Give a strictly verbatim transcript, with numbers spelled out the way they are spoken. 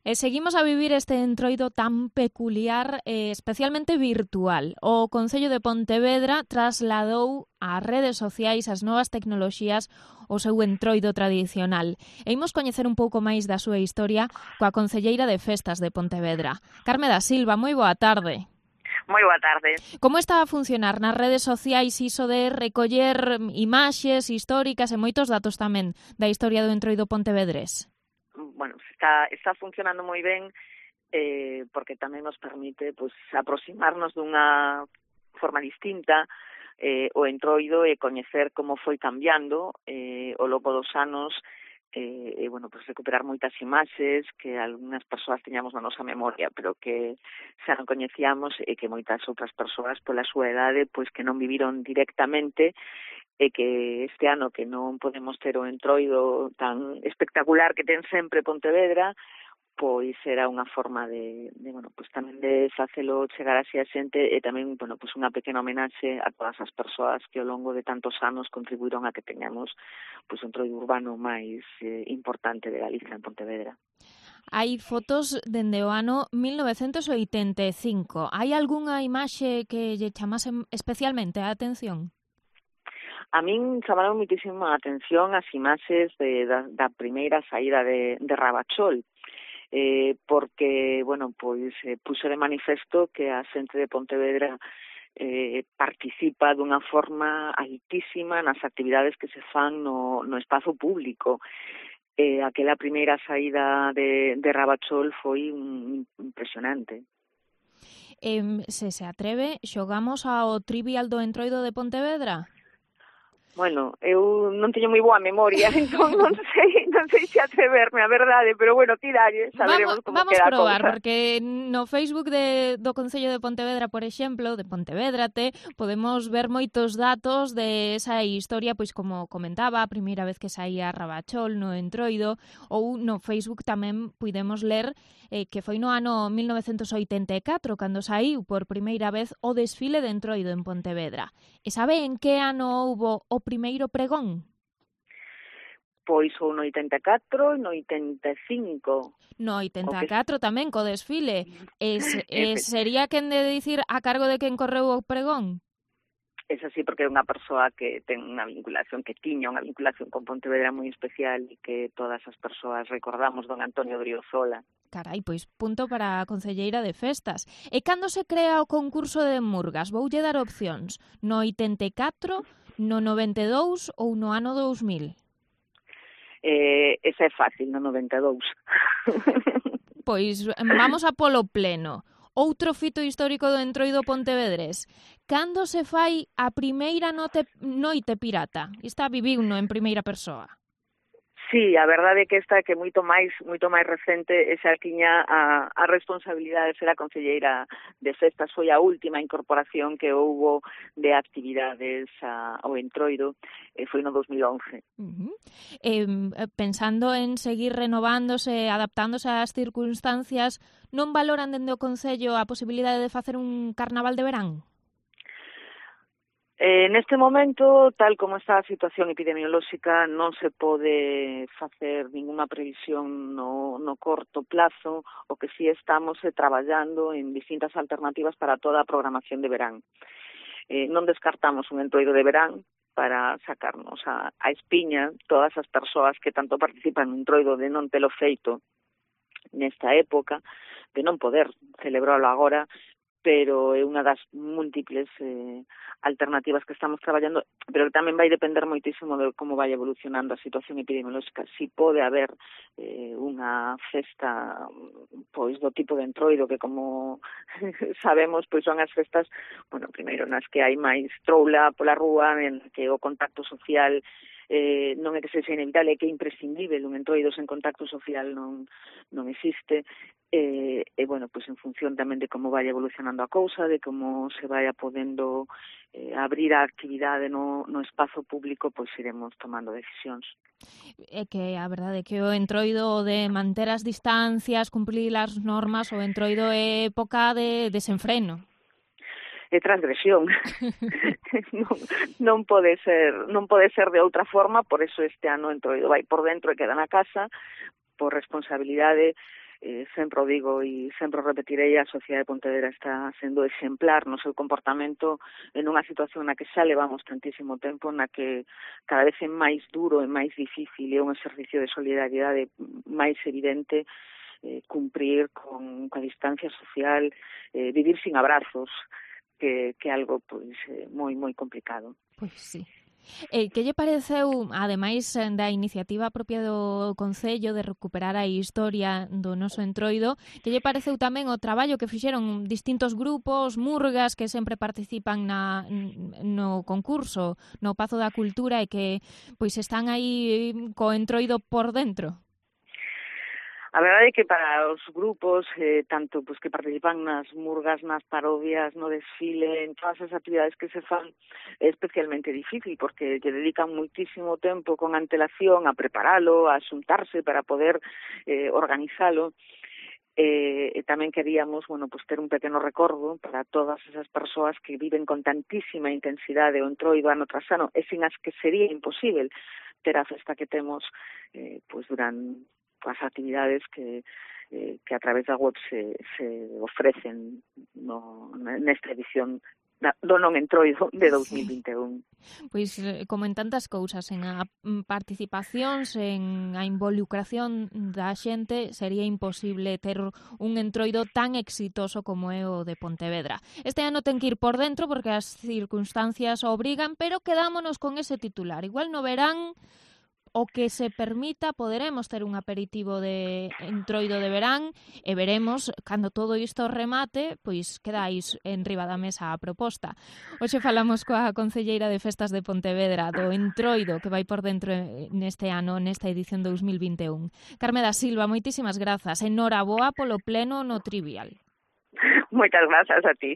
E seguimos a vivir este entroido tan peculiar, eh, especialmente virtual. O Concello de Pontevedra trasladou ás redes sociais, as novas tecnoloxías, o seu entroido tradicional. E imos coñecer un pouco máis da súa historia coa concelleira de Festas de Pontevedra. Carme da Silva, moi boa tarde. Moi boa tarde. Como está a funcionar nas redes sociais iso de recoller imaxes históricas e moitos datos tamén da historia do entroido pontevedrés? Bueno, está, está funcionando moi ben eh, porque tamén nos permite pues, aproximarnos dunha forma distinta eh, o entroido e coñecer como foi cambiando eh, ao longo dos anos e, eh, bueno, pues recuperar moitas imaxes que algunhas persoas teñamos na nosa memoria, pero que xa non coñecíamos e que moitas outras persoas pola súa edade pois que non viviron directamente e que este ano que non podemos ter o entroido tan espectacular que ten sempre Pontevedra, pois era unha forma de, de bueno, pois tamén de facelo chegar así a xente e tamén, bueno, pois unha pequena homenaxe a todas as persoas que ao longo de tantos anos contribuíron a que teñamos pois un entroido urbano máis eh, importante de Galicia en Pontevedra. Hai fotos dende o ano mil novecentos oitenta e cinco. Hai algunha imaxe que lle chamase especialmente a atención? A min chamaron muitísimo a atención as imaxes de, da, da primeira saída de, de Rabachol, eh, porque, bueno, pois eh, puxo de manifesto que a xente de Pontevedra eh, participa dunha forma altísima nas actividades que se fan no, no espazo público. Eh, aquela primeira saída de, de Rabachol foi un, impresionante. Eh, se se atreve, xogamos ao Trivial do entroido de Pontevedra? Bueno, eu non teño moi boa memoria, entón non sei, non sei se atreverme, a verdade, pero bueno, tiralle, saberemos vamos, como vamos queda a probar, cousa. porque no Facebook de, do Concello de Pontevedra, por exemplo, de Pontevédrate, podemos ver moitos datos de esa historia, pois como comentaba, a primeira vez que saía Rabachol no entroido, ou no Facebook tamén pudemos ler eh, que foi no ano mil novecentos oitenta e catro, cando saiu por primeira vez o desfile de entroido en Pontevedra. E sabe en que ano houbo o primeiro pregón? Pois ou no oitenta e catro e no oitenta e cinco. No oitenta e catro que... tamén co desfile. E, e sería quen de dicir a cargo de quen correu o pregón? É así porque é unha persoa que ten unha vinculación, que tiña unha vinculación con Pontevedra moi especial e que todas as persoas recordamos, don Antonio Driozola. Carai, pois punto para a concelleira de Festas. E cando se crea o concurso de Murgas? Voulle dar opcións. No oitenta e catro, no noventa e dous ou no ano dous mil? Eh, esa é fácil, no noventa e dous. Pois vamos a polo pleno. Outro fito histórico do entroido pontevedrés. Cando se fai a primeira noite, noite pirata? Esta viviuno en primeira persoa. Sí, a verdade é que esta que moito máis moito máis recente esa tiña a, a responsabilidade de ser a concelleira de Festas, foi a última incorporación que houbo de actividades a, ao entroido, e foi no dos mil once. Uh-huh. Eh, pensando en seguir renovándose, adaptándose ás circunstancias, non valoran dende o Concello a posibilidade de facer un carnaval de verán? Eh, neste momento, tal como está a situación epidemiolóxica, non se pode facer ninguna previsión no, no corto plazo. O que sí estamos é traballando en distintas alternativas para toda a programación de verán. Eh, non descartamos un entroido de verán para sacarnos a, a espiña todas as persoas que tanto participan no entroido de non telo feito nesta época, de non poder celebrarlo agora, pero é unha das múltiples eh, alternativas que estamos traballando, pero tamén vai depender moitísimo de como vai evolucionando a situación epidemiolóxica. Si pode haber eh, unha festa pois do tipo de entroido que, como sabemos, pois son as festas, bueno, primeiro nas que hai máis troula pola rúa, en que o contacto social eh, non é que sexa inevitable, é que é imprescindible, un entroido sen contacto social non, non existe. E, e, bueno, pois en función tamén de como vai evolucionando a cousa, de como se vai podendo eh, abrir a actividade no, no espazo público, pois iremos tomando decisións. É que a verdade é que o entroido de manter as distancias, cumplir as normas, o entroido é época de desenfreno. É transgresión. non, non pode ser, non pode ser de outra forma, por eso este ano o entroido vai por dentro e queda na casa, por responsabilidade. eh, sempre o digo e sempre o repetirei, a sociedade de Pontevedra está sendo exemplar no seu comportamento en unha situación na que xa levamos tantísimo tempo, na que cada vez é máis duro e máis difícil, é un exercicio de solidariedade máis evidente, eh, cumprir con a distancia social, eh, vivir sin abrazos, que que algo pois eh, moi moi complicado. Pois sí. Eh, que lle pareceu, ademais da iniciativa propia do Concello de recuperar a historia do noso Entroido, que lle pareceu tamén o traballo que fixeron distintos grupos, murgas, que sempre participan na, no concurso, no Pazo da Cultura, e que pois están aí co Entroido por dentro? A verdade é que para os grupos, eh, tanto pues, que participan nas murgas, nas parodias, no desfile, en todas as actividades que se fan, é especialmente difícil, porque lle dedican muitísimo tempo con antelación a preparalo, a xuntarse para poder eh, organizalo. Eh, e tamén queríamos, bueno, pues ter un pequeno recordo para todas esas persoas que viven con tantísima intensidade o Entroido ano tras ano, e sin as que sería imposible ter a festa que temos eh, pues durante as actividades que eh, que a través da web se, se ofrecen no, nesta edición do non Entroido de dos mil vinte e un. Pois, como en tantas cousas, en a participacións, en a involucración da xente, sería imposible ter un Entroido tan exitoso como é o de Pontevedra. Este ano ten que ir por dentro porque as circunstancias obrigan, pero quedámonos con ese titular. Igual no verán o que se permita, poderemos ter un aperitivo de Entroido de verán e veremos, cando todo isto remate, pois quedáis en riba da mesa a proposta. Hoxe falamos coa concelleira de Festas de Pontevedra do Entroido que vai por dentro neste ano, nesta edición dous mil vinte e un. Carme da Silva, moitísimas grazas. Enhoraboa polo pleno no Trivial. Moitas grazas a ti.